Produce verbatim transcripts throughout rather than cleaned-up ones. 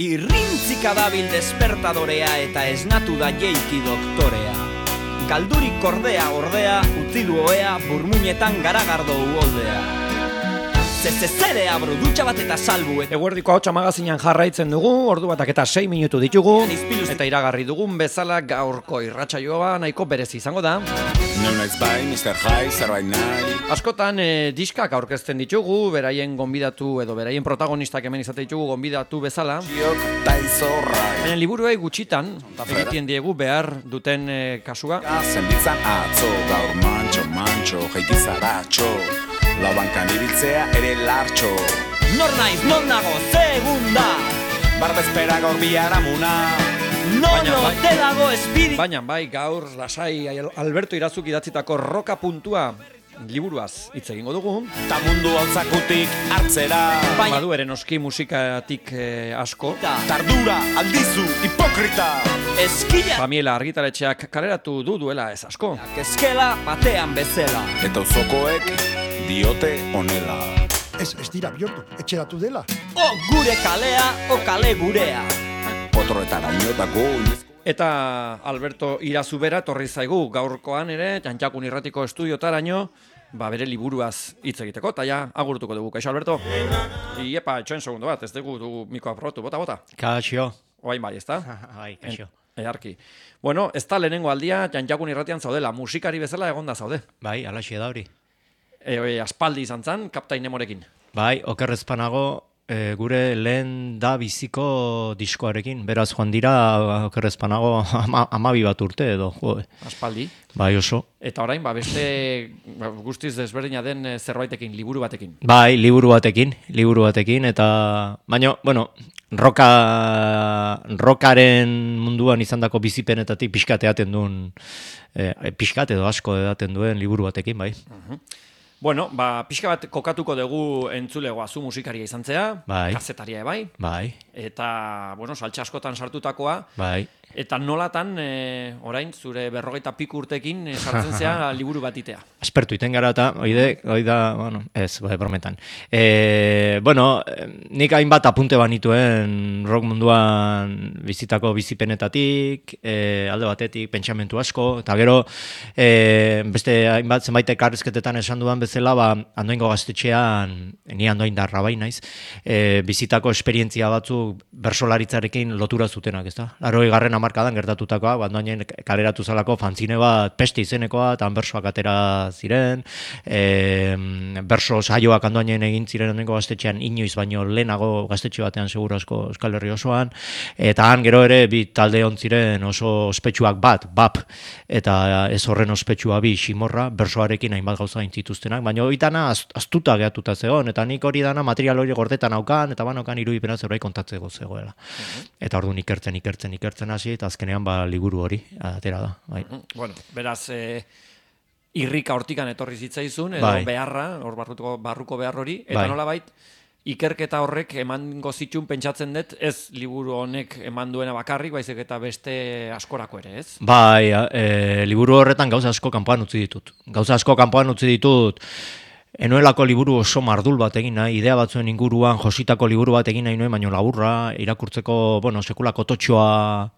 Irrintzika dabil despertadorea eta esnatu da jeiki doktorea. Galdurik kordea ordea, utzi du oea, burmuinetan garagardo uoldea. Zezezerea bro, dutxa bat eta salbu. Eguerdiko hotxa magazinan jarraitzen dugu, ordu batak eta sei minutu ditugu, eta iragarri dugun bezala gaurko irratsaioa nahiko berezi izango da. No nights by mister High, zerbait nahi. Askotan eh, diskak aurkezten ditugu, beraien gonbidatu edo beraien protagonistak hemen izate ditugu gonbidatu bezala. Giok taizorrai. Baina liburuei gutxitan, egiten diegu behar duten eh, kasua. Zenbitzan atzo, gaur mantxo, mantxo, jaiti zaratxo. Laubankan ibiltzea ere lartxo. Nor naiz, non nago, segunda. Barbezpera gaur biharamuna. Nono, te dago espiri. Baina bai, gaur lasai Alberto Irazuk idatzitako roka puntua liburuaz hitz egingo dugu. Ta mundu hauzakutik hartzera. Baina badu ere noski musikatik eh, asko. Tardura, aldizu, hipokrita. Eskila. Pamiela argitaletxeak kaleratu du duela ez asko. Eskela batean bezala. Eta uzokoek diote honela. Ez, ez dira bihurtu, etxeratu dela. O gure kalea, o kale gurea. Potroetara inotako Eta Alberto Irazubera torri zaigu gaurkoan ere, Txantxakun irratiko estudiotaraino, ba bere liburuaz hitz egiteko, eta ja agurtuko dugu. Kaixo Alberto? Iepa, etxoen segundo bat, ez dugu dugu miko aprotu, bota, bota. Kaixo. Oain bai, ez da? Bai, kaixo. Earki. Bueno, ez da lehenengo aldia Txantxakun irratian zaudela, musikari bezala egonda zaude. Bai, alaxi da hori. E, e, aspaldi izan zan, Kaptain Nemorekin. Bai, okerrezpanago e, gure lehen da biziko diskoarekin. Beraz, joan dira okerrezpanago ama, amabi bat urte edo. Jo. Aspaldi. Bai, oso. Eta orain, ba, beste ba, guztiz desberdina den eh, zerbaitekin, liburu batekin. Bai, liburu batekin, liburu batekin, eta baina, bueno, roka, rokaren munduan izandako bizipenetatik pixkat edaten duen, eh, pixkat edo asko edaten duen liburu batekin, bai. Uh-huh. Bueno, ba, pixka bat kokatuko dugu entzulegoa zu musikaria izan zea, bai. Kazetaria bai, bai. Eta, bueno, saltxe askotan sartutakoa, bai. Eta nolatan, e, orain, zure berrogeita piku urtekin e, sartzen zea liburu batitea. Aspertu iten gara eta, oide, oida, bueno, ez, bai, brometan. E, bueno, nik hainbat apunte banituen rock munduan bizitako bizipenetatik, e, alde batetik, pentsamentu asko, eta gero, e, beste hainbat zenbait elkarrizketetan esan dudan bezala, ba, Andoaingo gaztetxean, ni Andoaindarra bai naiz, e, bizitako esperientzia batzuk bersolaritzarekin lotura zutenak, ezta? Larogei garren hamarkadan gertatutakoa, Andoainen kaleratu zalako fanzine bat peste izenekoa, eta bersoak atera ziren, e, berso saioak Andoainen egin ziren Andoaingo gaztetxean inoiz baino lehenago gaztetxe batean seguru asko Euskal Herri osoan, eta han gero ere bi talde hon ziren oso ospetsuak bat, bap, eta ez horren ospetsua bi Ximorra, bersoarekin hainbat gauza intzituztenak, baina oitana astuta gehatuta zegoen, eta nik hori dana material hori gordetan aukan, eta banokan irudipena zerbait kontatzeko zegoela. Uh-huh. Eta orduan ikertzen, ikertzen, ikertzen hasi, eta azkenean ba liburu hori atera da. Bai. Uh-huh. Bueno, beraz, e, irrika hortikan etorri zitzaizun, edo bai. beharra, hor barruko, barruko behar hori, eta bai. nolabait, ikerketa horrek emango zitun pentsatzen dut, ez liburu honek eman duena bakarrik, baizik eta beste askorako ere, ez? Bai, e, liburu horretan gauza asko kanpoan utzi ditut. Gauza asko kanpoan utzi ditut, enoelako liburu oso mardul bat egin nahi, idea batzuen inguruan jositako liburu bat egin nahi nuen, baino laburra, irakurtzeko, bueno, sekulako totxoa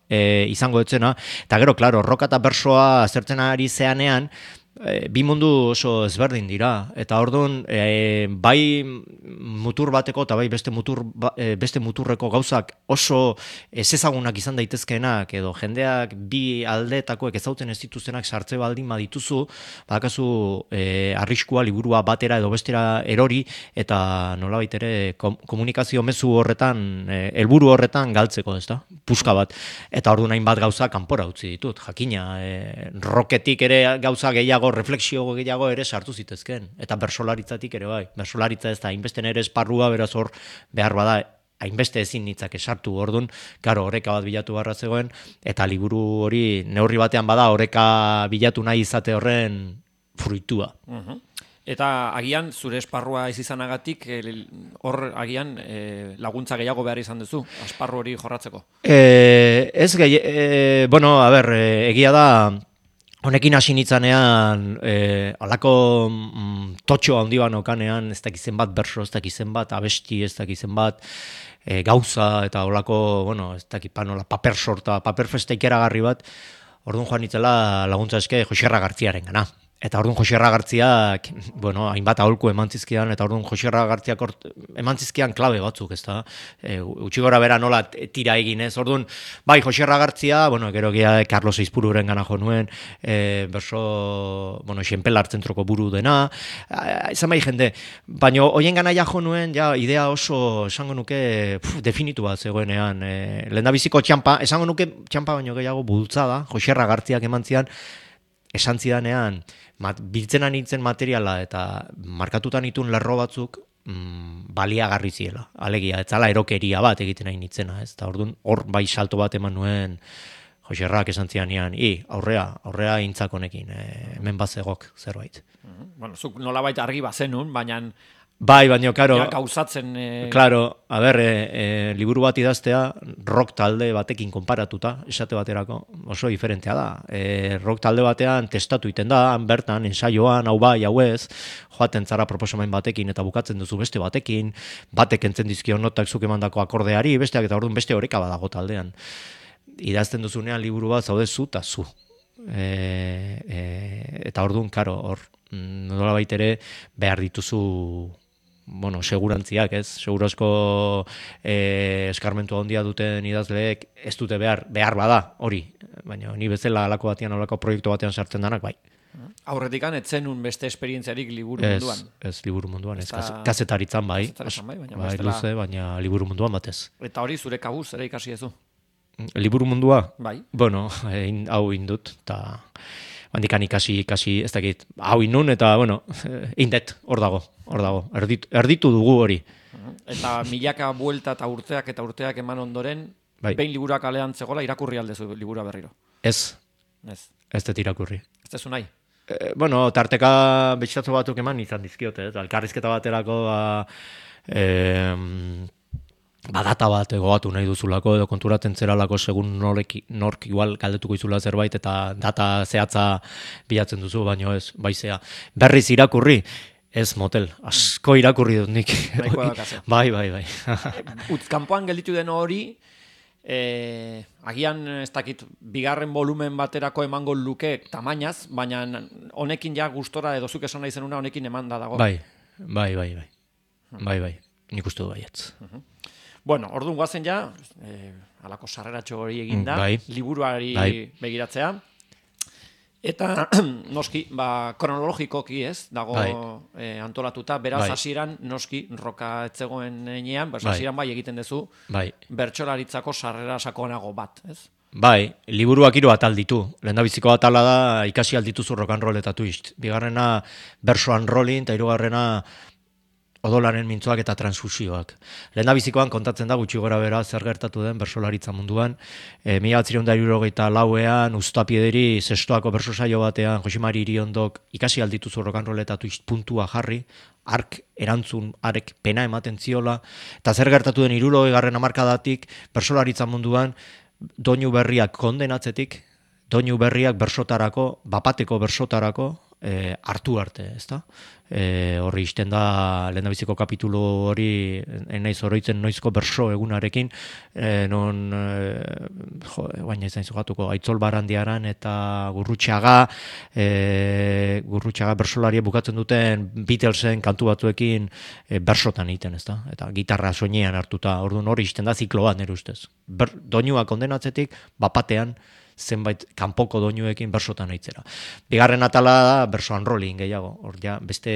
e, izango etzena, eta gero, klaro, roka eta bersoa azertzen ari zeanean, E, bi mundu oso ezberdin dira, eta orduan e, bai mutur bateko eta bai beste, mutur, e, beste muturreko gauzak oso ezezagunak izan daitezkeenak, edo jendeak bi aldeetakoek ezautzen ez dituztenak sartze baldin badituzu, badakazu e, arriskua liburua batera edo bestera erori, eta nolabait ere kom, komunikazio mezu horretan, e, helburu horretan galtzeko, ez da? Puska bat. Eta orduan hainbat gauza kanpora utzi ditut, jakina, e, roketik ere gauza gehiago refleksio gehiago ere sartu zitezken, eta bersolaritzatik ere bai, bersolaritza ez da, hainbeste ere esparrua, beraz hor behar bada, hainbeste ezin nitzake sartu, orduan, karo, oreka bat bilatu barra zegoen, eta liburu hori neurri batean bada, oreka bilatu nahi izate horren fruitua. Uh-huh. Eta agian, zure esparrua ez izanagatik, hor agian e, laguntza gehiago behar izan duzu, esparru hori jorratzeko? E, ez gehi, e, bueno, a ber, e, egia da, Honekin hasi nitzanean, e, alako mm, totxo handi banokanean, ez dakizen bat berso, ez dakizen bat abesti, ez dakizen bat e, gauza, eta olako, bueno, ez dakipan, ola, paper sorta, paper festa ikeragarri bat, orduan joan nitzela laguntza eske Josierra Gartziaren gana. Eta orduan Josierra Gartziak, bueno, hainbat aholku eman zizkidan, eta orduan Josierra Gartziak eman zizkidan klabe batzuk, ez da? E, utxi gora bera nola tira egin, ez? Orduan, bai, Josierra Gartzia, bueno, gero gira Carlos Eizpururen gana jo nuen, e, berso, bueno, Xenpelar zentroko buru dena, izan bai jende, baina hoien gana ja jo nuen, ja, idea oso, esango nuke, puf, definitu bat zegoenean, e, lehendabiziko txampa, esango nuke txampa baino gehiago bultzada, Josierra Gartziak eman zian, esan zidanean, mat, biltzena nintzen materiala eta markatutan itun lerro batzuk mm, baliagarri ziela. Alegia, ez zala erokeria bat egiten nahi nintzena, ez? Eta orduan hor bai salto bat eman nuen Joserrak esan zidanean, i, aurrea, aurrea intzak honekin, e, hemen bazegok zerbait. Bueno, zuk nolabait argi bazenun, baina Bai, baina, karo, ja, gauzatzen... E... Claro, a ber, e, e, liburu bat idaztea, rock talde batekin konparatuta, esate baterako, oso diferentea da. E, rock talde batean testatu iten da, han bertan, ensaioan, hau bai, hau ez, joaten zara proposamen batekin eta bukatzen duzu beste batekin, batek entzen dizkio notak zuk emandako akordeari, besteak eta orduan beste oreka badago taldean. Idazten duzunean liburu bat zaude zu eta zu. E, e, eta orduan, karo, hor, nola baitere behar dituzu bueno, segurantziak, ez? Segurazko eh, eskarmentu handia duten idazleek ez dute behar, behar bada, hori. Baina ni bezala alako batean, alako proiektu batean sartzen danak, bai. Aurretikan etzenun beste esperientziarik liburu ez, munduan. Ez, liburu munduan, ez. Eta... Kazetaritzan, bai. Kazetaritzan, bai, baina bai, bestela... luze, baina liburu munduan batez. Eta hori zure kabuz, ere ikasi ezu? Liburu mundua? Bai. Bueno, in, hau indut, eta... Handikan ikasi, ikasi, ez dakit, hau inun, eta, bueno, indet, hor dago, hor dago, erditu, erditu dugu hori. Eta milaka buelta eta urteak eta urteak eman ondoren, bai. Behin liburuak alean zegoela, irakurri aldezu liburua berriro. Ez, ez, ez dut irakurri. Ez dezu nahi? E, bueno, tarteka betxatzu batuk eman izan dizkiote, ez, elkarrizketa baterako, ba, e, badata bat egoatu nahi duzulako edo konturatzen zeralako segun norek, nork igual galdetuko izula zerbait eta data zehatza bilatzen duzu, baino ez, baizea. Berriz irakurri, ez motel, asko irakurri dut nik. bai, bai, bai. Utz kanpoan gelditu den hori, e, agian ez dakit bigarren volumen baterako emango luke tamainaz, baina honekin ja gustora edo zuk esan nahi zenuna honekin emanda dago. Bai, bai, bai, bai. Bai, bai. Nik uste du baietz. Bueno, orduan guazen ja, eh, alako sarreratxo hori eginda, bai. liburuari bai. begiratzea. Eta, noski, ba, kronologikoki ez, dago bai. eh, antolatuta, beraz bai. hasieran noski, roka etzegoen enean, beraz bai. hasieran bai egiten duzu, bai. bertsolaritzako sarrera sakonago bat, ez? Bai, liburuak hiru atal ditu. Lehendabiziko atala da ikasi aldituzu rock and roll eta twist. Bigarrena berso and rolling, eta hirugarrena odolaren mintzoak eta transfusioak. Lehendabizikoan kontatzen da gutxi gora bera zer gertatu den bersolaritza munduan. E, mila batziehun eta hirurogeita lauean Uztapiederi zestoako berso saio batean Josimari Iriondok ikasi aldituzu rock and roll eta twist puntua jarri, ark erantzun, arek pena ematen ziola, eta zer gertatu den hirurogeigarren hamarkadatik bersolaritza munduan doinu berriak kondenatzetik, doinu berriak bersotarako, bapateko bersotarako, E, hartu arte, ezta? E, horri izten da lehendabiziko kapitulu hori enaiz oroitzen noizko berso egunarekin, e, non e, jo, baina izan zugatuko Aitzol Barandiaran eta Gurrutxaga, e, Gurrutxaga bersolaria bukatzen duten Beatlesen kantu batzuekin e, bersotan egiten, ezta? Eta gitarra soinean hartuta, orduan hori izten da ziklo bat nire ustez. Ber, doinua kondenatzetik, bapatean, zenbait kanpoko doinuekin bersotan aitzera. Bigarren atala da berso and rolling gehiago. Hor ja beste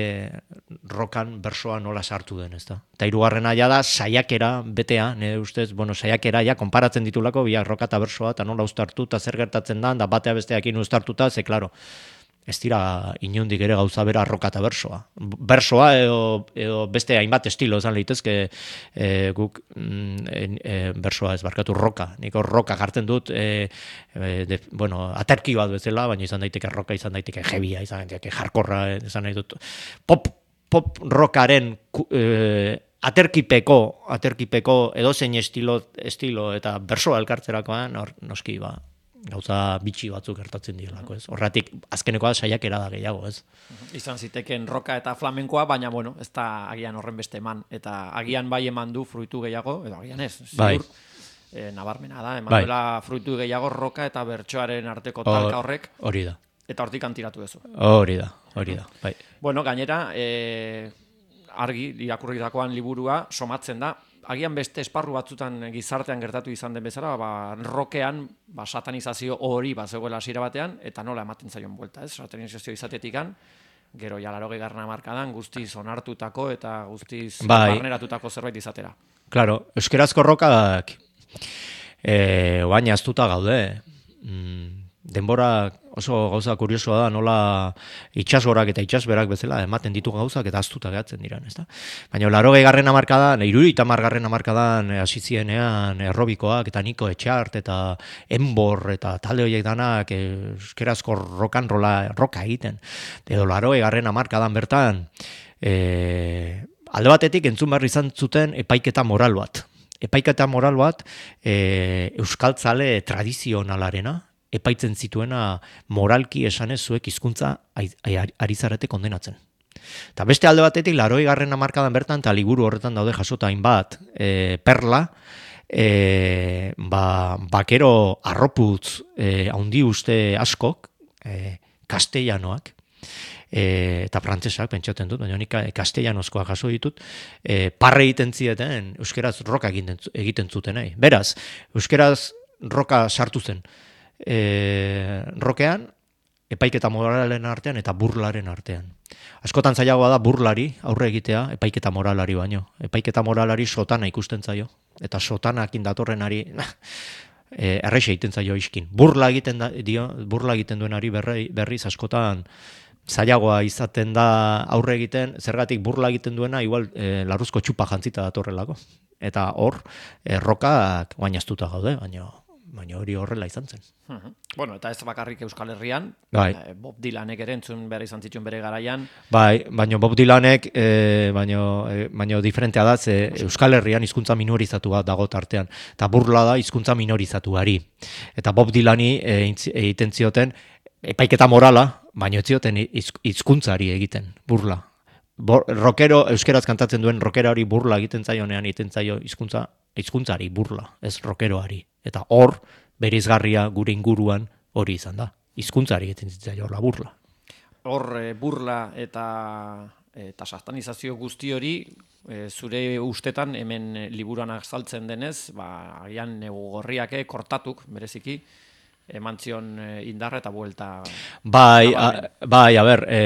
rokan bersoa nola sartu den, ezta. Ta hirugarrena ja da saiakera betea, nire ustez, bueno, saiakera ja konparatzen ditulako biak roka ta bersoa eta nola uztartu ta zer gertatzen da, da batea besteekin uztartuta, ze claro. Ez dira inondik ere gauza bera roka eta bersoa. Bersoa edo, edo beste hainbat estilo esan litezke e, guk e, e, bersoa ez barkatu roka. Niko roka jartzen dut, e, e, de, bueno, aterki bat bezala, baina izan daiteke roka, izan daiteke jebia, izan daiteke jarkorra, izan nahi dut. Pop, pop rockaren e, aterkipeko, aterkipeko edozein estilo, estilo eta bersoa elkartzerakoan, hor noski ba, Gauza bitxi batzuk gertatzen direlako, ez? Horratik azkenekoa saiakera da gehiago, ez? Izan ziteken roka eta flamenkoa, baina bueno, ez da agian horren beste eman. Eta agian bai eman du fruitu gehiago, edo agian ez, ziur, Bai. e, nabarmena da, eman Bai. duela fruitu gehiago roka eta bertsoaren arteko talka horrek, Hori da, eta hortik antiratu duzu. hori da, hori da, bai. Bueno, gainera, e, argi, irakurritakoan liburua somatzen da, agian beste esparru batzutan gizartean gertatu izan den bezala, ba, rokean ba, satanizazio hori bat zegoela hasiera batean, eta nola ematen zaion buelta, ez? Satanizazio izatetikan, gero ja laurogei garren hamarkadan guztiz onartutako eta guztiz Bai. barneratutako zerbait izatera. Claro, euskerazko rokak e, oain aztuta gaude. Mm, denbora oso gauza kuriosoa da, nola itxasorak eta itxasberak bezala ematen ditu gauzak eta aztuta gehatzen diran, ezta? Baina laurogei garren hamarkadan, hirurogeita hamar garren hamarkadan hasi zienean errobikoak eta Niko Etxart eta Enbor eta talde horiek danak euskerazko rokan rola roka egiten. Edo laurogei garren hamarkadan bertan e, alde batetik entzun behar izan zuten epaiketa moral bat. Epaiketa moral bat e, euskaltzale tradizionalarena, epaitzen zituena moralki esanez zuek hizkuntza ari zarete kondenatzen. Eta beste alde batetik, laurogei garren hamarkadan bertan, eta liburu horretan daude jasota hainbat, e, perla, e, ba, bakero arroputz e, handi uste askok, e, kastellanoak, e, eta frantsesak pentsatzen dut, baina nik kastellanozkoa jaso ditut, e, parre egiten zieten, euskeraz roka egiten, egiten zutenei. Beraz, euskeraz roka sartu zen, E, rokean, epaiketa moralen artean eta burlaren artean. Askotan zailagoa da burlari aurre egitea epaiketa moralari baino. Epaiketa moralari sotana ikusten zaio. Eta sotanakin datorrenari e, errexe egiten zaio iskin. Burla egiten, da, dio, burla egiten duenari berri, berriz askotan zailagoa izaten da aurre egiten, zergatik burla egiten duena igual e, larruzko txupa jantzita datorrelako. Eta hor, e, rokak guainaztuta gaude, baina baina hori horrela izan zen. Uh-huh. Bueno, eta ez bakarrik Euskal Herrian, bai. eh, Bob Dylanek ere entzun behar izan zituen bere garaian. Bai, baina Bob Dylanek, e, baina e, baina diferentea da, ze Euskal Herrian hizkuntza minorizatu bat dago tartean, eta burla da hizkuntza minorizatuari. Eta Bob Dylani egiten zioten epaiketa morala, baina ez zioten hizkuntzari egiten, burla. Bo, rockero, euskeraz kantatzen duen rockera hori burla egiten zaionean egiten zaio hizkuntza hizkuntzari burla, ez rockeroari. Eta hor, berizgarria gure inguruan hori izan da. Hizkuntzari egiten zaio la burla. Hor e, burla eta eta satanizazio guzti hori e, zure ustetan hemen liburuan azaltzen denez, ba agian negu gorriake kortatuk bereziki eman zion indarra eta buelta. Bai, a, bai, a ber, e,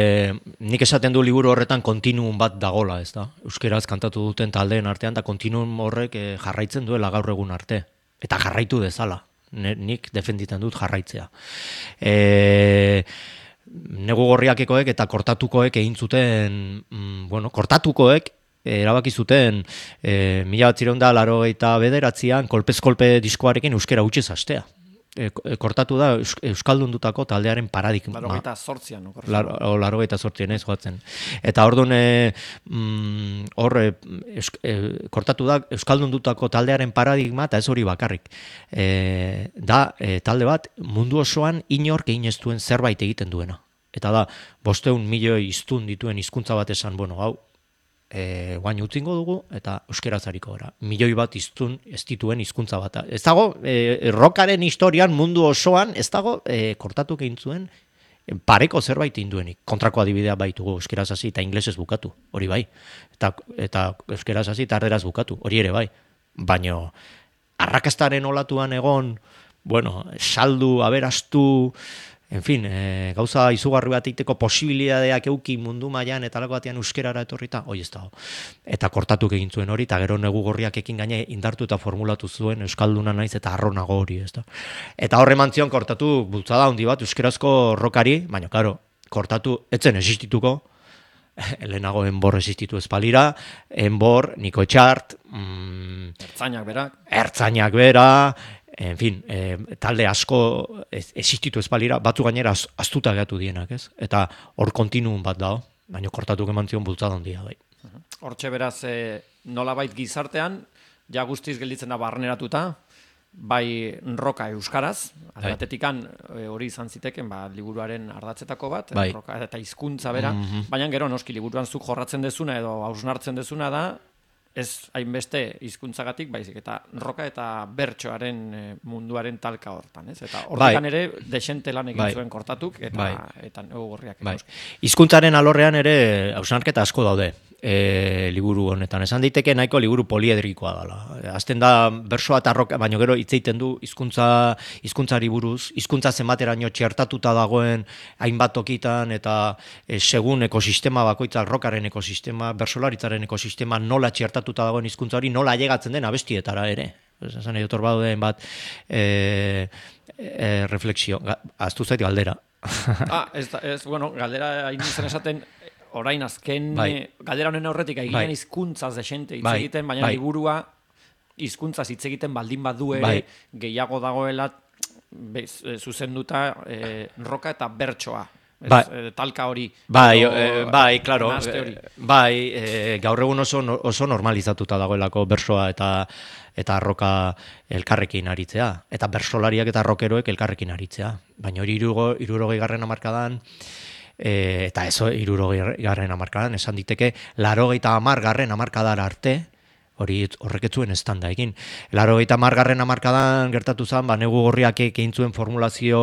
nik esaten du liburu horretan kontinuum bat dagola, ez da? Euskeraz kantatu duten taldeen artean, eta kontinuum horrek e, jarraitzen duela gaur egun arte. Eta jarraitu dezala. Ne, nik defenditzen dut jarraitzea. E, negu gorriakekoek eta kortatukoek egin zuten, mm, bueno, kortatukoek, erabaki zuten e, mila batzireun da laurogeita bederatzian kolpez-kolpe diskoarekin euskera utxez hastea. E, kortatu da Eus, euskaldundutako taldearen paradigma. Laurogeita zortzian. Laurogeita zortzian ez joatzen. Eta orduan e, mm, hor e, e, kortatu da euskaldundutako taldearen paradigma eta ez hori bakarrik. E, da e, talde bat mundu osoan inork egin ez duen zerbait egiten duena. Eta da, bosteun milioi hiztun dituen hizkuntza bat esan, bueno, hau, E, guain utzingo dugu eta euskeraz hariko gara. Milioi bat hiztun ez dituen hizkuntza bat. Ez dago, e, rockaren historian mundu osoan, ez dago, e, kortatu egin zuen pareko zerbait induenik. Kontrako adibidea baitugu euskeraz hasi eta inglesez bukatu, hori bai. Eta, eta euskeraz hasi eta erderaz bukatu, hori ere bai. Baina arrakastaren olatuan egon, bueno, saldu, aberastu, en fin, e, gauza izugarri bat egiteko posibilidadeak euki mundu mailan eta alako batean euskerara etorrita, hoi ez dago. Eta kortatuk egin zuen hori, eta gero negu gorriak ekin gaine indartu eta formulatu zuen euskalduna naiz eta arronago hori, ez da. Eta horre mantzion kortatu bultzada handi bat euskerazko rokari, baina, karo, kortatu etzen existituko, lehenago Enbor existitu espalira, Enbor, Niko Etxart, mm, Ertzainak berak, Ertzainak bera, en fin, e, talde asko existitu espalira, batzu gainera az, aztuta gehatu dienak, ez? Eta hor kontinuum bat dago, baina kortatuk eman zion bultzada handia bai. Hortxe beraz, e, nolabait gizartean, ja guztiz gelditzen da barneratuta, bai roka euskaraz, Bai. batetikan e, hori izan ziteken ba, liburuaren ardatzetako bat, Bai. roka eta hizkuntza bera, Mhm. baina gero noski liburuan zuk jorratzen dezuna edo hausnartzen dezuna da, ez hainbeste hizkuntzagatik baizik eta roka eta bertsoaren e, munduaren talka hortan, ez? Eta horretan ere desente lan egin Bai. zuen kortatuk eta Bai. eta egorriak. Bai. Hizkuntzaren alorrean ere hausnarketa asko daude. E, liburu honetan. Esan daiteke nahiko liburu poliedrikoa dela. Azten da bersoa eta roka, baina gero hitz egiten du hizkuntza hizkuntzari buruz, hizkuntza zenbateraino txertatuta dagoen hainbat tokitan eta e, segun ekosistema bakoitzak rokaren ekosistema, bersolaritzaren ekosistema nola txertatuta dagoen hizkuntza hori nola ailegatzen den abestietara ere. Esan nahi dut bauden bat e, e, refleksio, ahaztu zait galdera. Ah, ez, da- ez, bueno, galdera hain zen esaten, orain azken Bai. eh, galdera honen aurretik Bai. egiten hizkuntzaz desente hitz Bai. egiten, baina Bai. liburua hizkuntzaz hitz egiten baldin badu ere Bai. gehiago dagoela bez, eh, zuzenduta eh, roka eta bertsoa. Ez, Bai. eh, talka hori. Bai, edo eh, bai, claro. nahaste hori. eh, Bai, eh, gaur egun oso oso normalizatuta dagoelako bersoa eta eta roka elkarrekin aritzea, eta bersolariak eta rokeroek elkarrekin aritzea. Baina hori hirurogeigarren hamarkadan e, eta ez hirurogeigarren hamarkadan esan diteke laurogeita hamargarren hamarkadara arte, hori horrek ez zuen estanda egin. Laurogeita hamargarren hamarkadan gertatu zen, ba Negu Gorriak egin zuen formulazio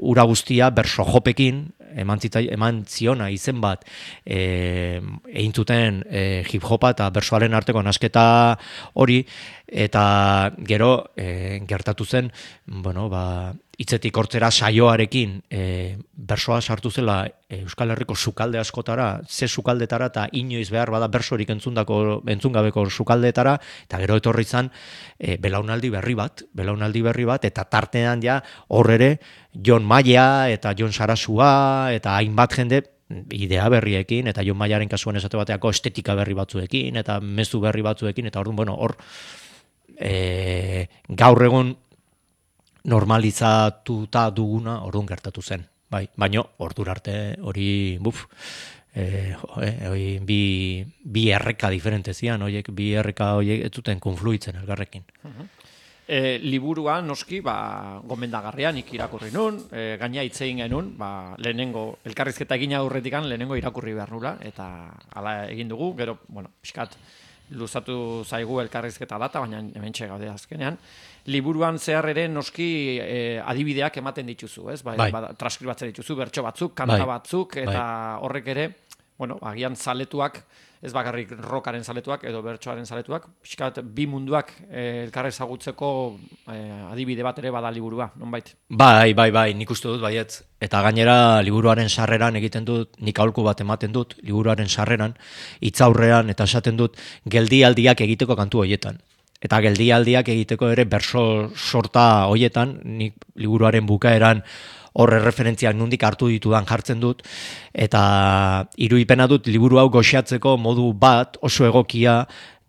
ura guztia berso jopekin, eman, zitzai, eman ziona izen bat e, egin zuten e, hip hopa eta bersoaren arteko nasketa hori, eta gero e, gertatu zen, bueno, ba, hitzetik hortzera saioarekin e, bersoa sartu zela e, Euskal Herriko sukalde askotara, ze sukaldetara eta inoiz behar bada bersorik entzundako entzungabeko sukaldeetara, eta gero etorri izan e, belaunaldi berri bat, belaunaldi berri bat, eta tartean ja hor ere Jon Maia eta Jon Sarasua eta hainbat jende idea berriekin, eta Jon Maiaren kasuan esate bateako estetika berri batzuekin, eta mezu berri batzuekin, eta orduan, bueno, hor e, gaur egun normalizatuta duguna orduan gertatu zen. Bai, baina ordura arte hori, buf, e, jo, e, hori bi, bi erreka diferente zian, horiek, bi erreka horiek ez zuten konfluitzen elgarrekin. E, liburua noski ba, gomendagarria nik irakurri nun, e, gaina hitz egin genuen, ba, lehenengo elkarrizketa egin aurretikan lehenengo irakurri behar nula, eta hala egin dugu, gero, bueno, pixkat luzatu zaigu elkarrizketa data, baina hementxe gaude azkenean. Liburuan zehar ere noski e, adibideak ematen dituzu, ez? Bai, Bai. ba, transkribatzen dituzu, bertso batzuk, kanta Bai. batzuk, eta horrek ere, bueno, agian zaletuak, ez bakarrik rokaren zaletuak edo bertsoaren zaletuak, pixkat bi munduak eh, elkar ezagutzeko eh, adibide bat ere bada liburua, nonbait. Bai, bai, bai, nik uste dut baietz. Eta gainera liburuaren sarreran egiten dut, nik aholku bat ematen dut, liburuaren sarreran, hitzaurrean eta esaten dut geldialdiak egiteko kantu hoietan. Eta geldialdiak egiteko ere berso sorta hoietan, nik liburuaren bukaeran horre referentziak nundik hartu ditudan jartzen dut, eta irudipena dut liburu hau goxatzeko modu bat oso egokia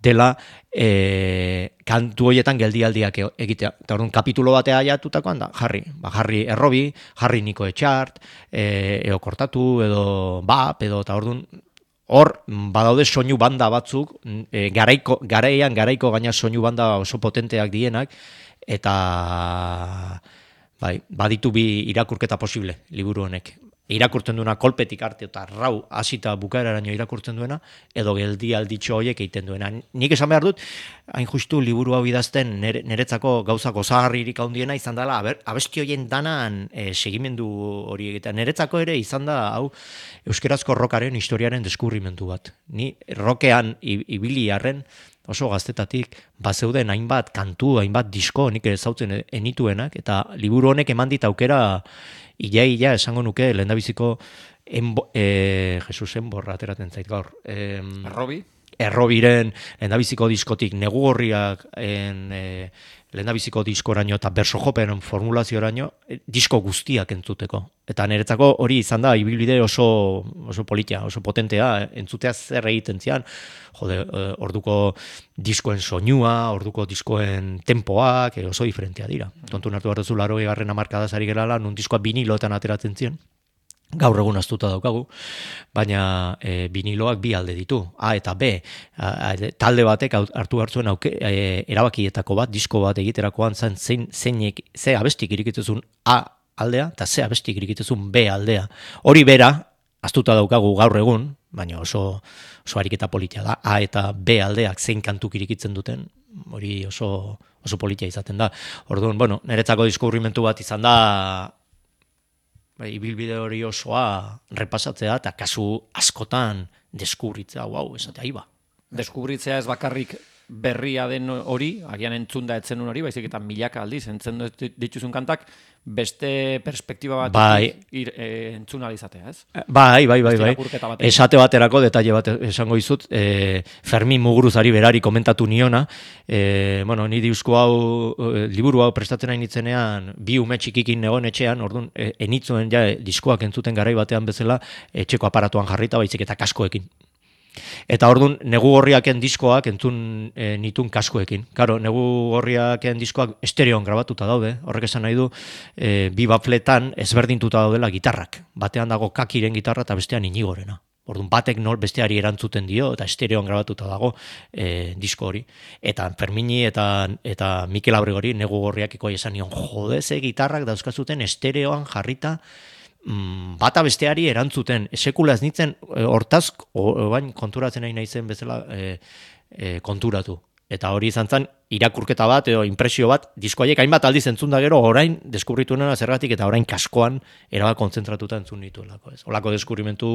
dela e, kantu hoietan geldialdiak e- egitea. Eta orduan kapitulo batea aiatutakoan da, jarri. Ba, jarri errobi, jarri niko etxart, e, eo kortatu, edo bap, edo, eta orduan hor badaude soinu banda batzuk, e, garaiko, garaian garaiko gaina soinu banda oso potenteak dienak, eta bai, baditu bi irakurketa posible liburu honek. Irakurtzen duena kolpetik arte eta rau hasita bukaeraraino irakurtzen duena, edo geldialditxo horiek egiten duena. Nik esan behar dut, hain justu liburu hau idazten nere, neretzako gauza gozagarririk handiena izan dela, aber, abesti horien danan e, segimendu hori egiten. Neretzako ere izan da, hau, euskerazko rokaren historiaren deskurrimendu bat. Ni rokean i- ibili arren, oso gaztetatik, bazeuden hainbat kantu, hainbat disko, nik ezautzen enituenak, eta liburu honek eman dit aukera, ia-ia esango nuke, lehendabiziko, enbo, e, Jesus enborra ateratzen zait gaur. E, Errobi? Errobiren lehendabiziko diskotik Negu Gorriak en, e, lehendabiziko diskoraino eta berso joperen formulazioraino e, disko guztiak entzuteko. Eta niretzako hori izan da ibilbide oso, oso politia, oso potentea, entzutea zer egiten zian. Jode, e, orduko diskoen soinua, orduko diskoen tempoak, e, oso diferentea dira. Kontu hartu behar duzu laurogeigarren hamarkadaz ari gerala, nun diskoa biniloetan ateratzen ziren. gaur egun astuta daukagu, baina e, biniloak bi alde ditu, A eta B. A, a, talde batek hartu hartzuen auke, e, erabakietako bat, disko bat egiterakoan zen zein, zeinek, ze abestik irikitzezun A aldea, eta ze abestik irikitzezun B aldea. Hori bera, astuta daukagu gaur egun, baina oso, oso ariketa politia da, A eta B aldeak zein kantuk irikitzen duten, hori oso, oso politia izaten da. Orduan, bueno, niretzako diskurrimentu bat izan da, bai, ibilbide hori osoa repasatzea eta kasu askotan deskubritzea, wow, esatea, iba. Deskubritzea ez bakarrik berria den hori, agian entzunda etzen hori, baizik eta milaka aldiz, entzen dituzun kantak, beste perspektiba bat bai. ir, e, entzun alizatea, ez? Bai, bai, bai, bai. Bat Esate baterako, detalle bat esango izut, e, Fermin Muguruzari berari komentatu niona, e, bueno, ni diusko hau, e, liburu hau prestatzen hain nitzenean, bi ume txikikin egon etxean, orduan, e, enitzuen ja, diskoak entzuten garai batean bezala, etxeko aparatuan jarrita, baizik eta kaskoekin. Eta orduan, negu gorriaken diskoak entzun e, nitun kaskoekin. Karo, negu gorriaken diskoak estereoan grabatuta daude, horrek esan nahi du, e, bi bafletan ezberdintuta daudela gitarrak. Batean dago Kakiren gitarra eta bestean Inigorena. Orduan, batek nol besteari erantzuten dio, eta estereoan grabatuta dago e, disko hori. Eta Fermini eta, eta Mikel Abregori negu gorriakeko esan nion, jode, ze gitarrak dauzkazuten estereoan jarrita, bata besteari erantzuten, sekula ez nintzen hortaz, bain konturatzen nahi naizen bezala e, e, konturatu. Eta hori izan zen irakurketa bat edo impresio bat, diskoaiek hainbat aldiz entzun da gero, orain deskubritu nena zergatik eta orain kaskoan erabak konzentratuta entzun dituelako. Ez. Olako deskubrimentu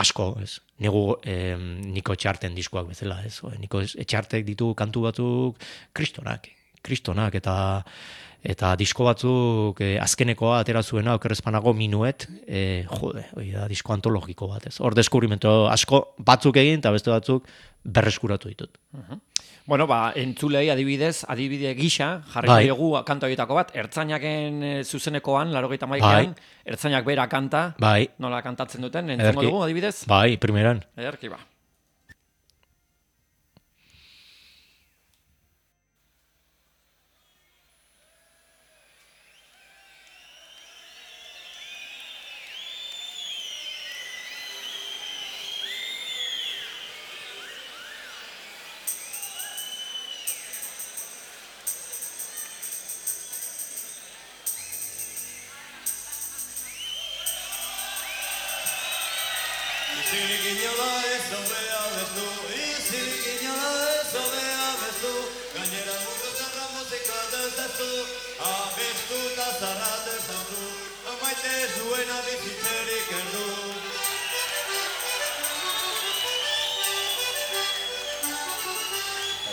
asko, ez. Negu e, Niko Etxarten diskoak bezala, ez. O, Niko Etxartek ditu kantu batzuk kristonak, kristonak eta eta disko batzuk e, azkenekoa atera zuena okerrezpanago Minuet, e, jode, hori da disko antologiko bat, ez. Hor deskubrimento asko batzuk egin eta beste batzuk berreskuratu ditut. Uh-huh. Bueno, ba, entzulei adibidez, adibide gisa, jarriko bai. dugu kanto horietako bat, Ertzainaken e, zuzenekoan, laurogeita hamaikaan, bai. Ertzainak bera kanta, bai. Nola kantatzen duten, entzungo dugu adibidez? Bai, primeran. Ederki ba.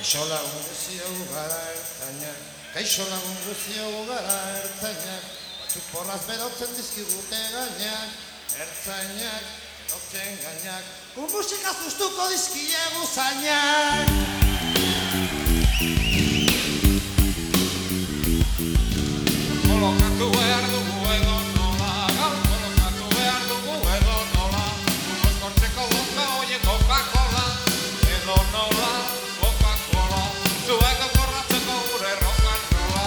Kaixo lagun guztiago gara ertzainak, kaixo lagun guztiago gara ertzainak, batzuk porraz berotzen dizkigute gainak, ertzainak, berotzen gainak, gu musika zuztuko dizkiegu zainak. Kolokatu behar dugu edo nola, gaur kolokatu behar dugu edo nola, mozkortzeko boka oie Coca-Cola, edo nola. Zueko korratzeko gure rock and rolla.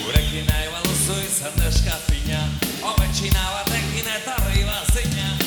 Gurekin nahi baduzu izan deskafina, ometxina batekin eta arriba zina.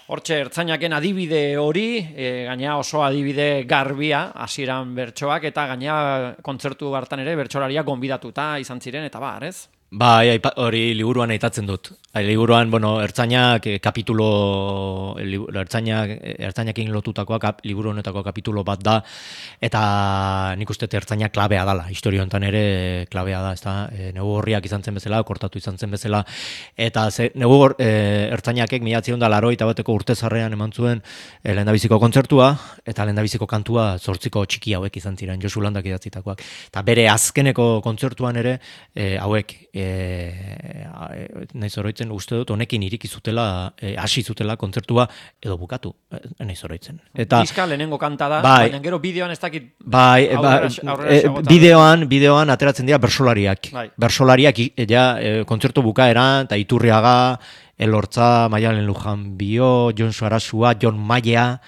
Hortxe, ertzainaken adibide hori, e, gaina oso adibide garbia, hasieran bertsoak, eta gaina kontzertu hartan ere bertsolaria gonbidatuta izan ziren, eta bar, ez? Bai, aipa- hori liburuan aitatzen dut. Ai, liburuan, bueno, ertzainak eh, kapitulo, li- ertzainak, ertzainakin lotutakoa kap, liburu honetako kapitulo bat da, eta nik uste dut ertzainak klabea dala, historia honetan ere klabea da, ezta? E, negu horriak izan zen bezala, kortatu izan zen bezala, eta ze, negu hor, e, ertzainakek mila bederatziehun eta laurogeita bateko urtezarrean eman zuen e, lehendabiziko kontzertua, eta lehendabiziko kantua zortziko txiki hauek izan ziren, Josu Landak idatzitakoak. Eta bere azkeneko kontzertuan ere e, hauek, e, e, naiz oroitzen uste dut honekin iriki zutela, e, hasi zutela kontzertua edo bukatu, e, naiz oroitzen. Eta Diska lehenengo kanta da, bai, baina gero bideoan ez dakit bai, e, ba, aurrera- aurrera e, xagota- bideoan, bideoan ateratzen dira bersolariak. Bai. Bersolariak i- ja, e, kontzertu bukaeran, eta Iturriaga, Elortza, Maialen Lujanbio, Jon Sarasua, Jon Maia,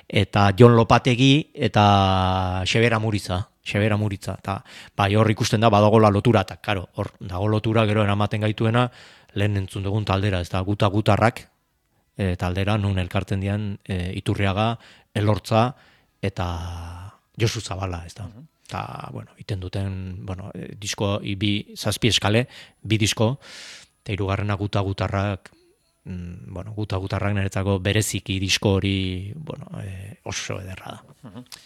eta Jon Lopategi, eta Xebera Muriza. Xebera Muritza, eta bai hor ikusten da badagola lotura, eta karo, hor dago lotura gero eramaten gaituena lehen entzun dugun taldera, ez da guta gutarrak e, taldera nun elkartzen dian e, Iturriaga, Elortza eta Josu Zabala, ez da. Eta, bueno, iten duten, bueno, e, disko, i, bi, zazpi eskale, bi disko, eta hirugarrena guta gutarrak, mm, bueno, guta gutarrak niretzako bereziki disko hori, bueno, e, oso ederra da.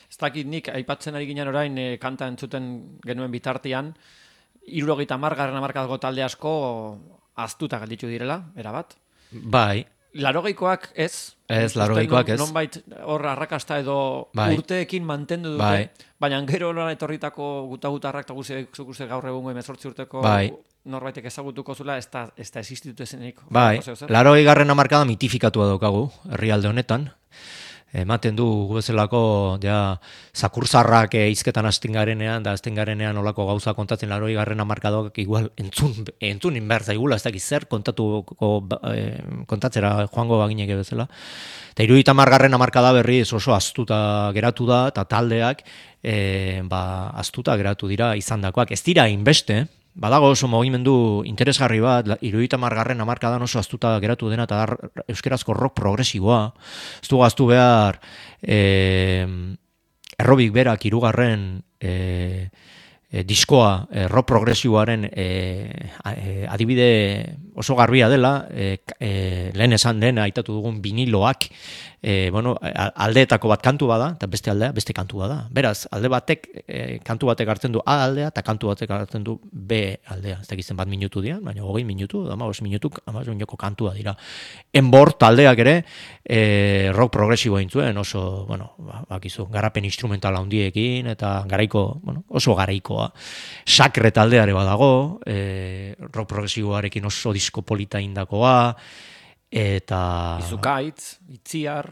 Ez dakit nik aipatzen ari ginen orain e, kanta entzuten genuen bitartean, hirurogeita hamargarren hamarkadako talde asko aztuta gelditu direla, erabat. Bai, Larogeikoak ez. Ez, Uste larogeikoak non- ez. Nonbait hor arrakasta edo Bai. urteekin mantendu dute. Bai. Baina gero nola etorritako guta-gutarrak eta guztiak zuk uste gaur egungo hemezortzi urteko Bai. norbaitek ezagutuko zula, ez da, ez da existitu ezenik. bai, larogei garren hamarkada mitifikatua daukagu herrialde honetan. Ematen du gu bezalako ja zakurzarrak e, hizketan hasten garenean da hasten garenean olako gauza kontatzen larogei garren hamarkadoak igual entzun entzun inber zaigula, ez dakit zer kontatuko e, kontatzera joango bagineke bezala. Eta hirurogeita hamargarren hamarkada berriz oso aztuta geratu da eta taldeak e, ba aztuta geratu dira izandakoak. Ez dira inbeste, badago oso mugimendu interesgarri bat, hirurogeita hamargarren hamarkadan oso aztuta geratu dena eta da euskerazko rock progresiboa. Ez du gaztu behar e, errobik berak hirugarren e, e, diskoa e, rock progresiboaren e, e, adibide oso garbia dela, e, e, lehen esan den aitatu dugun viniloak, e, bueno, aldeetako bat kantu bada, eta beste aldea beste kantu bada. Beraz, alde batek, e, kantu batek hartzen du A aldea, eta kantu batek hartzen du B aldea. Ez dakitzen bat minutu dira, baina hogei minutu, hamabost minutuk, hamabost minutuko kantua dira. Enbor taldeak ere, e, rock progresiboa intzuen, oso, bueno, bakizu, garapen instrumental handiekin, eta garaiko, bueno, oso garaikoa. Sakre taldeare badago, e, rock progresiboarekin oso disko polita indakoa, eta... Izukaitz, Itziar...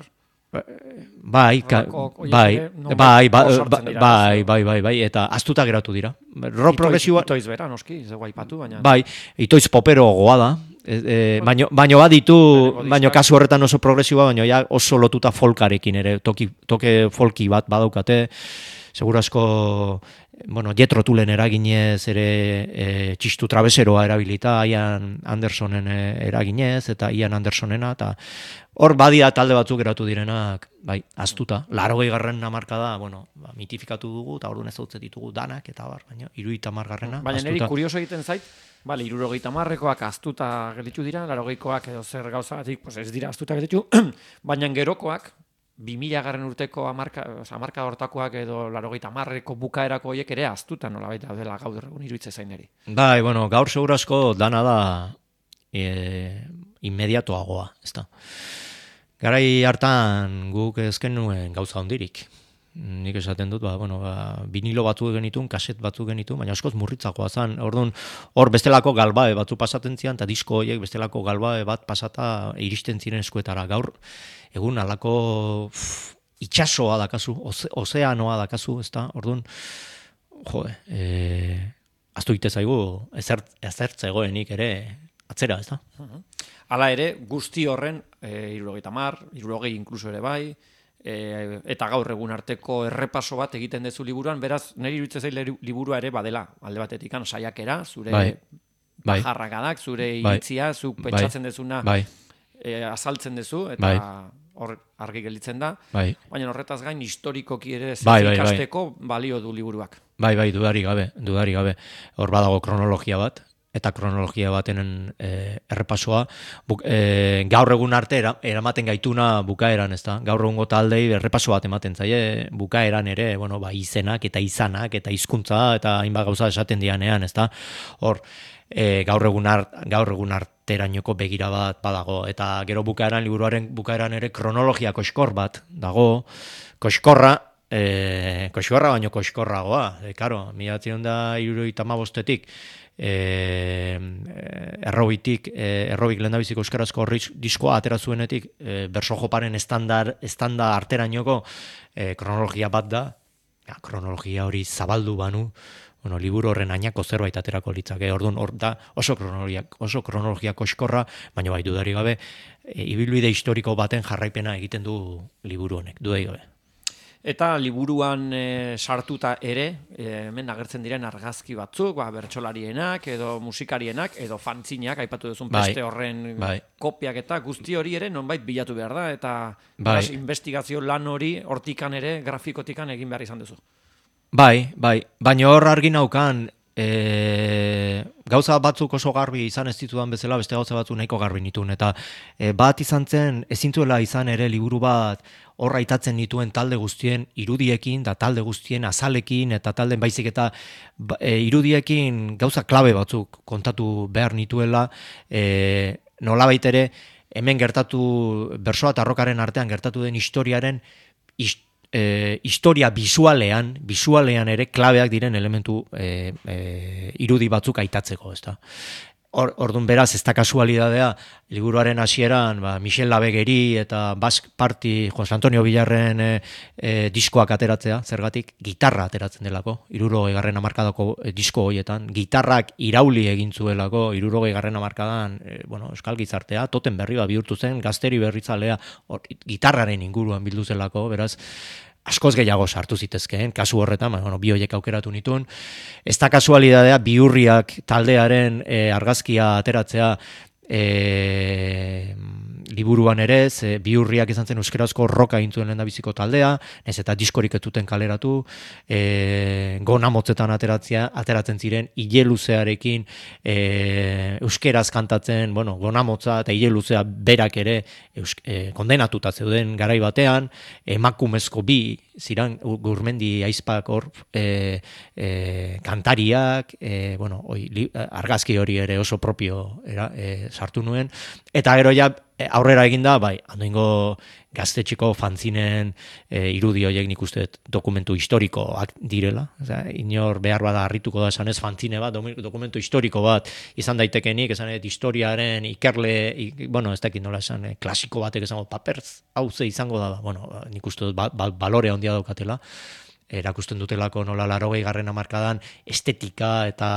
Bai, ka, Horrelako, bai, horiek ere, nonbait bai, bai, hor sartzen dira, bai, ez? bai, bai, bai, eta aztuta geratu dira. Rock progresiboa, Itoiz bera, noski, ez dugu aipatu, baina... bai, itoiz popero goa da. E, e, baino, baino baditu, Lehenengo baino diskak. kasu horretan oso progresiboa, baino ja oso lotuta folkarekin ere, toki, toke folki bat badaukate, segurasko, bueno, Jethro Tullen eraginez ere e, txistu trabeseroa erabilita, Ian Andersonen e, eraginez, eta Ian Andersonena, eta hor badia talde batzuk geratu direnak, bai, aztuta. Larogei garren hamarkada, bueno, ba, mitifikatu dugu, eta orduan ez dut ditugu danak, eta bar, baina hirurogeita hamargarrena, Baina niri aztuta. kurioso egiten zait, bale, hirurogeita hamarrekoak aztuta gelditu dira, larogeikoak edo zer gauzagatik, pues ez dira aztuta gelditu, baina gerokoak, bi mila garren urteko hamarka, oza, hamarka hortakoak edo larogeita hamarreko bukaerako horiek ere aztuta nolabait daudela gaur egun iruditzen zaineri. Bai, bueno, gaur segurazko dana da e, inmediatoagoa, ez da. Garai hartan guk ezken nuen gauza hondirik. Nik esaten dut, ba, bueno, ba, vinilo batzuk genitun, kaset batzuk genitun, baina askoz murritzakoa zen. Orduan, hor bestelako galbae batzu pasaten zian, eta disko horiek bestelako galbae bat pasata iristen ziren eskuetara. Gaur, egun alako pff, itxasoa dakazu, oze, ozeanoa dakazu, ez da? Orduan, jode, e, aztu ite zaigu, ezert, ezertzegoenik ere atzera, ez da? Hala ere, guzti horren, e, hirurogeita hamar, hirurogei inkluso ere bai, e, eta gaur egun arteko errepaso bat egiten dezu liburuan, beraz, niri iruditzen zait liburua ere badela, alde batetik, saiakera, zure Bai, bai, bajarrakadak, zure bai, iritzia, zuk bai, pentsatzen dezuna, bai, e, azaltzen duzu, eta bai. hor argi gelditzen da, bai. baina horretaz gain historikoki ere Bai, bai, bai. ikasteko balio du liburuak. Bai, bai, dudari gabe, dudari gabe. Hor badago kronologia bat, eta kronologia baten e, errepasoa, buk, e, gaur egun arte era, eramaten gaituna bukaeran, ez da? Gaur egungo taldei errepaso bat ematen zaie, bukaeran ere, bueno, ba, izenak eta izanak eta hizkuntza eta hainbat gauza esaten dianean, ez da? Hor, e, gaur egun art, gaur egun arterainoko begira bat badago, eta gero bukaeran, liburuaren bukaeran ere kronologia koskor bat dago, koskorra, E, koxkorra baino koxkorragoa, e, karo, mila bederatziehun eta hirurogeita hamabostetik e, errobitik, e, errobik lehendabiziko euskarazko diskoa atera zuenetik, e, berso joparen estandar, estanda arterainoko e, kronologia bat da, ja, kronologia hori zabaldu banu, bueno, liburu horren ainako zerbait aterako litzake, orduan hor da oso kronologia, oso kronologia koxkorra, baina bai dudari gabe, e, ibilbide historiko baten jarraipena egiten du liburu honek, dudari gabe. Eta liburuan e, sartuta ere, e, hemen agertzen diren argazki batzuk, ba, bertsolarienak, edo musikarienak, edo fantzinak, aipatu duzun bai, beste horren bai. kopiak eta guzti hori ere nonbait bilatu behar da, eta bai. beraz, investigazio lan hori hortikan ere, grafikotikan egin behar izan duzu. Bai, bai, baina hor argi naukan, e, gauza batzuk oso garbi izan ez ditudan bezala, beste gauza batzuk nahiko garbi nituen, eta e, bat izan zen, ezintzuela izan ere liburu bat, horra aitatzen dituen talde guztien irudiekin, da talde guztien azalekin, eta talden baizik eta e, irudiekin gauza klabe batzuk kontatu behar nituela, e, nolabait ere, hemen gertatu, bersoa eta rokaren artean gertatu den historiaren, hist, e, historia bisualean, bisualean ere klabeak diren elementu e, e, irudi batzuk aitatzeko, ezta. Or, ordun beraz, ez da kasualidadea, liburuaren hasieran ba, Michel Labegeri eta Basque Party, Jose Antonio Villarren e, e, diskoak ateratzea, zergatik, gitarra ateratzen delako, hirurogei garren hamarkadako e, disko horietan, gitarrak irauli egin zuelako, hirurogei garren hamarkadan, e, bueno, euskal gizartea, toten berri bat bihurtu zen, gazteri berritzalea, or, gitarraren inguruan bildu zelako, beraz, askoz gehiago sartu zitezkeen, kasu horretan, bueno, bi horiek aukeratu nituen. Ez da kasualidadea, Bihurriak taldearen e, argazkia ateratzea e, liburuan ere, ze Bihurriak izan zen euskerazko roka intzuen lehendabiziko taldea, ez eta diskorik etuten kaleratu, e, gona motzetan ateratzea, ateratzen ziren, ile luzearekin e, euskeraz kantatzen, bueno, gona motza eta ile luzea berak ere eus, e, kondenatuta zeuden garai batean, emakumezko bi ziran Gurmendi aizpak hor e, e, kantariak, e, bueno, oi, li, argazki hori ere oso propio era, e, sartu nuen, eta gero ja aurrera eginda, bai, handoingo gaztetxeko fanzinen e, irudi horiek nik uste dokumentu historikoak direla, osea, inor behar bada harrituko da esanez fanzine bat, dokumentu historiko bat izan daitekenik, esan ez historiaren ikerle, ik, bueno, ez dakit nola esan, eh, klasiko batek esango paperz, hau ze izango da, bueno, nik uste dut ba, ba, balore handia daukatela, erakusten dutelako nola larogei garren hamarkadan estetika eta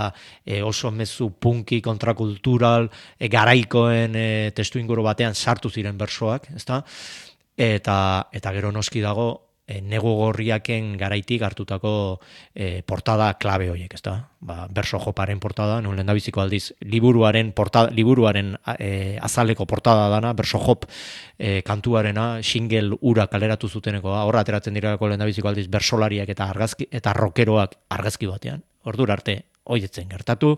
e, oso mezu punki kontrakultural e, garaikoen e, testu inguru batean sartu ziren bersoak, ezta? Eta, eta gero noski dago e, negu gorriaken garaitik hartutako e, portada klabe horiek, ezta? Ba, berso joparen portada, non lehendabiziko aldiz liburuaren portada, liburuaren e, azaleko portada dana, berso jop e, kantuarena, single ura kaleratu zutenekoa, horra ateratzen direlako lehendabiziko aldiz bersolariak eta argazki eta rockeroak argazki batean. Ordura arte hoietzen gertatu.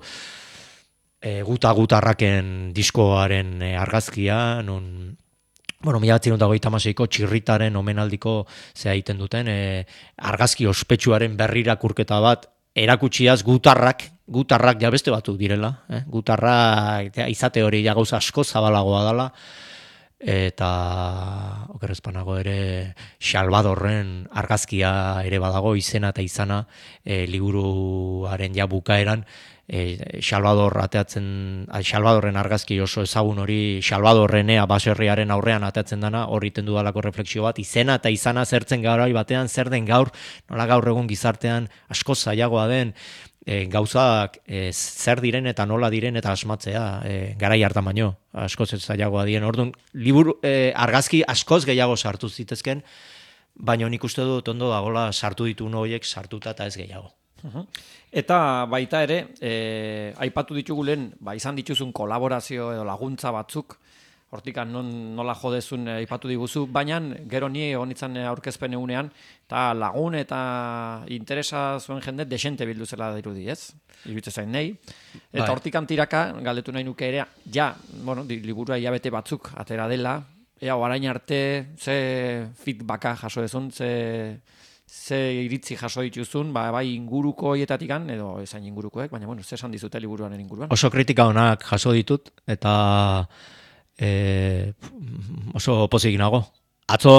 E, guta gutarraken diskoaren e, argazkia, non bueno, mila bederatziehun eta hogeita hamaseiko txirritaren omenaldiko zea egiten duten, e, argazki ospetsuaren berrirakurketa bat erakutsiaz gutarrak, gutarrak ja beste batzuk direla, eh? Gutarrak ja, izate hori ja gauza asko zabalagoa dela, eta okerrezpanago ere Salvadorren argazkia ere badago, izena eta izana e, liburuaren ja bukaeran, E, Salvador ateatzen, Salvadorren argazki oso ezagun hori, Salvadorrenea baserriaren aurrean ateatzen dana, hor iten dudalako refleksio bat, izena eta izana zertzen garai batean, zer den gaur, nola gaur egun gizartean asko zailagoa den, e, gauzak e, zer diren eta nola diren eta asmatzea, e, garai hartan baino, askoz zailagoa dien, orduan, liburu, e, argazki askoz gehiago sartu zitezken, baina nik uste dut ondo dagoela sartu ditu horiek sartuta eta ez gehiago. Uh-huh. Eta baita ere, e, aipatu ditugu lehen, ba, izan dituzun kolaborazio edo laguntza batzuk, hortikan non, nola jodezun eh, ipatu diguzu, baina gero ni honitzen aurkezpen egunean, eta lagun eta interesa zuen jende desente bildu zela dirudi, ez? Iruditzen zain nahi. Eta Bai. hortikan tiraka, galdetu nahi nuke ere, ja, bueno, di- liburua hilabete batzuk atera dela, ea, orain arte, ze feedbacka jaso dezun, ze, ze iritzi jaso dituzun, ba, bai inguruko hietatikan, edo ezain ingurukoek, baina, bueno, ze esan dizute liburuaren inguruan. Oso kritika onak jaso ditut, eta e, oso pozik nago. Atzo,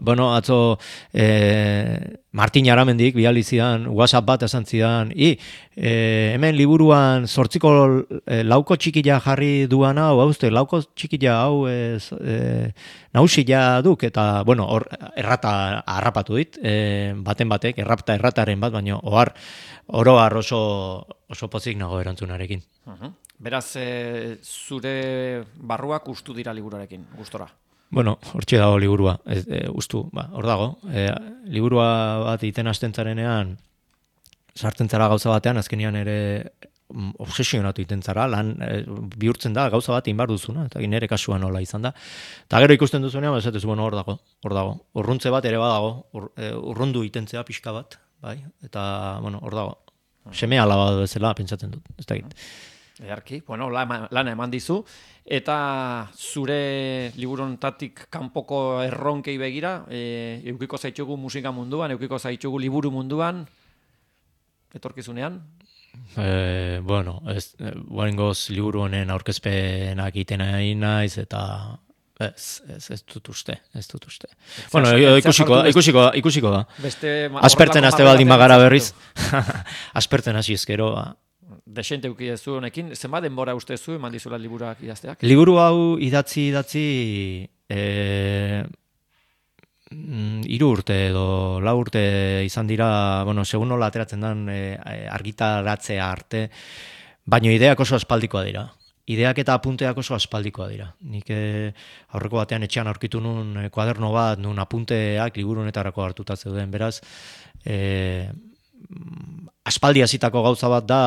bueno, atzo e, Martin Aramendik bidali zidan, WhatsApp bat esan zidan, i, e, hemen liburuan zortziko e, lauko txikila jarri duan hau, hauzte, lauko txikila hau e, e, nausila duk, eta, bueno, hor errata harrapatu dit, e, baten batek, errapta errataren bat, baina ohar, oroar oso, oso pozik nago erantzunarekin. Uh-huh. Beraz, e, zure barruak ustu dira liburuarekin, gustora. Bueno, hortxe dago liburua, ez, e, ustu, ba, hor dago. E, liburua bat iten hasten zarenean, sartzen zara gauza batean, azkenean ere mm, obsesionatu iten zara, lan e, bihurtzen da gauza bat inbar duzuna, eta nire kasuan nola izan da. Eta gero ikusten duzunean, esatez, bueno, hor dago, hor dago. Urruntze bat ere badago, ur, e, urrundu itentzea pixka bat, bai, eta, bueno, hor dago. Seme alaba bezala pentsatzen dut, ez da egit. Earki, bueno, lana, lana eman dizu, eta zure liburontatik kanpoko erronkei begira, e, eukiko zaitxugu musika munduan, eukiko zaitxugu liburu munduan, etorkizunean? E, bueno, ez, guarengoz liburu honen aurkezpenak egiten ari naiz, eta ez, ez, ez dut uste, ez dut uste. Bueno, ez ikusiko da, sartu ikusiko da, ikusiko da. Beste Aspertzen horrelako haste baldin marra bagara batean berriz. Aspertzen hasi ezkero, ba. Desente euki ez honekin, zenbat denbora uste zu eman dizula liburuak idazteak? Liburu hau idatzi idatzi e, hiru urte edo lau urte izan dira, bueno, segun nola ateratzen den e, argitaratzea arte, baino ideak oso aspaldikoa dira. Ideak eta apunteak oso aspaldikoa dira. Nik e, aurreko batean etxean aurkitu nun e, kuaderno bat, nun apunteak liburu honetarako hartuta zeuden, beraz, e, aspaldi hasitako gauza bat da,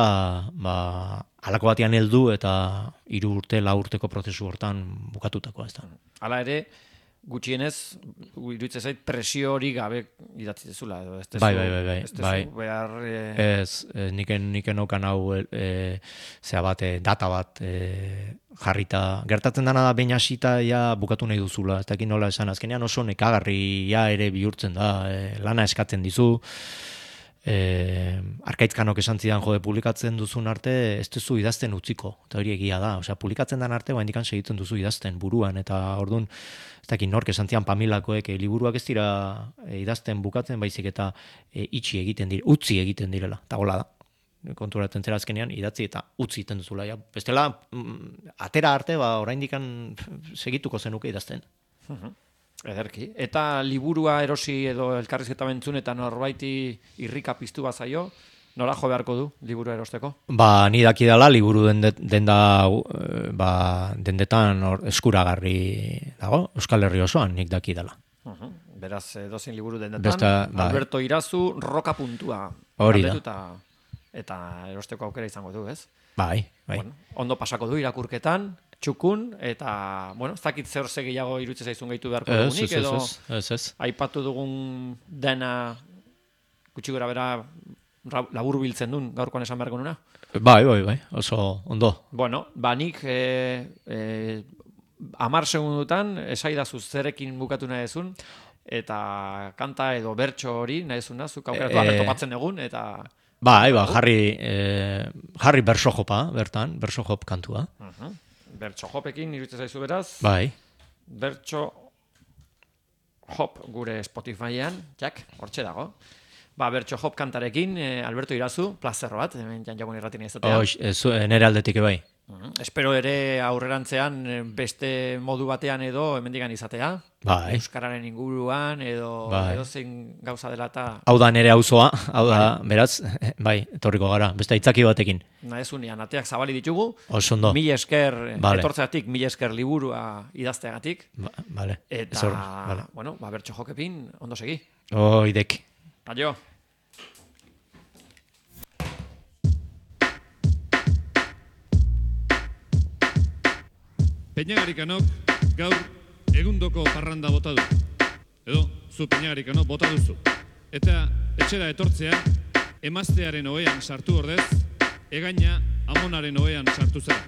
ba, halako batean heldu eta hiru urte, lau urteko prozesu hortan bukatutakoa, ez da. Hala ere, gutxienez, iruditzen zait presio hori gabe idatzi dezula, edo ez dezu, Bai, bai, bai, bai, ez dezu bai. behar... E... Ez, e, niken, niken okan hau e, zea bat, e, data bat e, jarrita. Gertatzen dana da behin hasita ja bukatu nahi duzula, ez dakit nola esan, azkenean oso nekagarria ere bihurtzen da, e, lana eskatzen dizu, E, Arkaitkanok esan zidan jode publikatzen duzun arte ez duzu idazten utziko, eta hori egia da, osea, publikatzen den arte baindikan segitzen duzu idazten buruan, eta orduan ez dakit nork esan zidan Pamilakoek e, liburuak ez dira e, idazten bukatzen baizik eta e, itxi egiten dire, utzi egiten direla, eta gola da. Konturatzen zera azkenean idatzi eta utzi egiten duzula, ja. Bestela mm, atera arte ba oraindikan segituko zenuke idazten. Uh-huh. Ederki. Eta liburua erosi edo elkarrizketa bentzun eta norbaiti irrika piztu bazaio, nola jo beharko du liburua erosteko? Ba, ni dakidala liburu dende, denda, ba, dendetan or, eskuragarri dago, Euskal Herri osoan nik dakidala. Uh-huh. Beraz, edozein liburu dendetan, Besta, bai. Alberto Irazu, roka puntua. Hori da. Eta, eta erosteko aukera izango du, ez? Bai, bai. Bueno, ondo pasako du irakurketan, txukun, eta, bueno, ez dakit zer ze gehiago iruditzen zaizun gehitu beharko Ez, dugunik, ez, edo ez, ez, ez. aipatu dugun dena gutxi gora bera labur biltzen duen gaurkoan esan beharko nuna? Bai, bai, bai, oso ondo. Bueno, ba nik e, e, amar segundutan esaidazu zerekin bukatu nahi ezun, eta kanta edo bertso hori nahi ezun da, zuk aukeratu E, aber topatzen egun, eta... Bai, ba, jarri, eh, jarri bersojopa, bertan, bersojop kantua. Uh-huh. Bertso jopekin iruditzen zaizu beraz, Bai, bertso hop gure Spotifyan, jak, hortxe dago. Ba, bertso hop kantarekin, eh, Alberto Irazu, plazer bat, hemen janjakun irratien izatea. Hox, ez, nere aldetik bai. Uh-huh. Espero ere aurrerantzean eh, beste modu batean edo hemendikan izatea. Bai. Euskararen inguruan edo Bai. edozein gauza dela eta Hau da nere auzoa, hau da, beraz, bai, etorriko gara, beste aitzaki batekin. nahezunean ateak zabali ditugu. Oso ondo. Mil esker Vale. etortzeatik, mil esker liburua idazteagatik. Ba, vale. Eta, Ez hor, vale. bueno, ba, bertso jokepin, ondo segi. Oidek. Adio. Peñagarikanok gaur egundoko parranda bota du. Edo, zu peinagarikano bota duzu. Eta etxera etortzea, emaztearen ohean sartu ordez, egaina amonaren ohean sartu zera.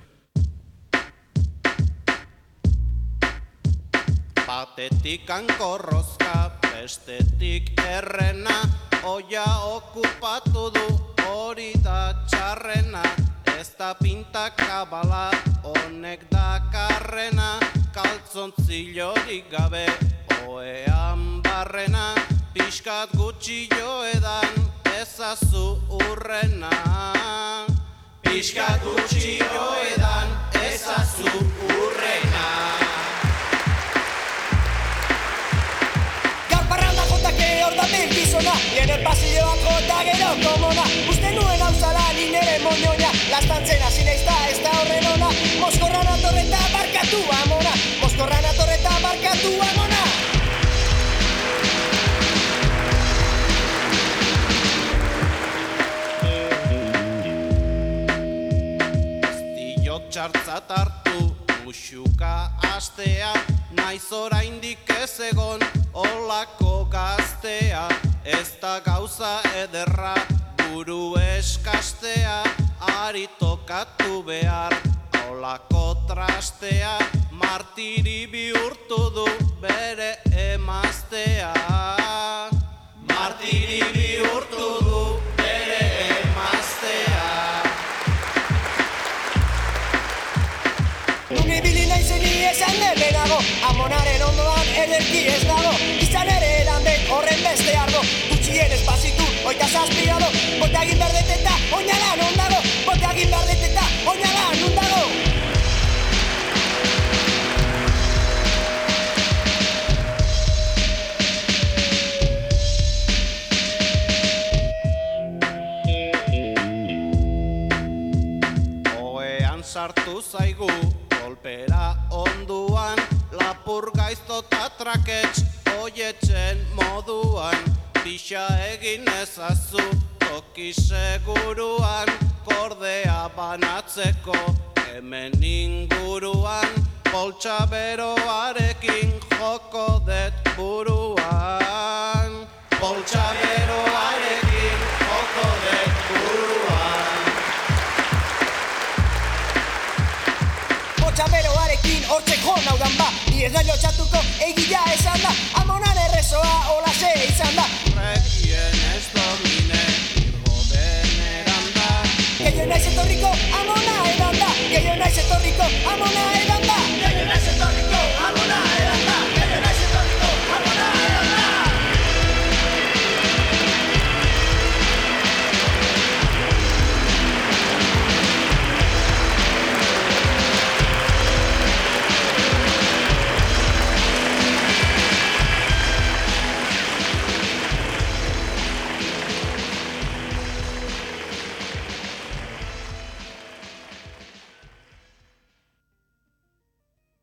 Batetik hankorrozka, bestetik errena, oia okupatu du hori da txarrena. Ez da pintakabala, honek dakarrena, kaltzontzillorik gabe, oean barrena, pixkat gutxi joedan, ezazu urrena. Pixkat gutxi joedan, ezazu urrena. Gaur parranda jotake hor da bilgizona, nire pasilloan jota gero komona. Uste nuen hau zala ni nire moñoña, lastantzen hasi naiz da ez da horren ona. Moskorran atorreta barkatu amona, Moskorran atorreta barkatu amona. Txartzat hartu, musuka astea, naiz oraindik ez egon olako gaztea. Ez da gauza ederra, buru eskastea, ari tokatu behar, olako trastea. Martiri bihurtu du bere emaztea. Martiri bihurtu du bere emaztea. Nibili naizeni esan debenago, amonaren ondoan ederki ez dago. Izan ere erandek horren beste argo, gutxien espazitu oita zazpiado. Bote egin berdeteta, oinala non dago, bote egin berdeteta, oinala non dago. Oean sartu zaigu, kolpera onduan, lapur gaiztota trakets, oietzen moduan. Pixa egin ezazu, toki seguruan, kordea banatzeko, hemen inguruan. Poltsa beroarekin joko det buruan. Poltsa beroarekin joko det buruan. Txaberoarekin hortzek hon hau dan ba, ni ez da lotxatuko egila esan da.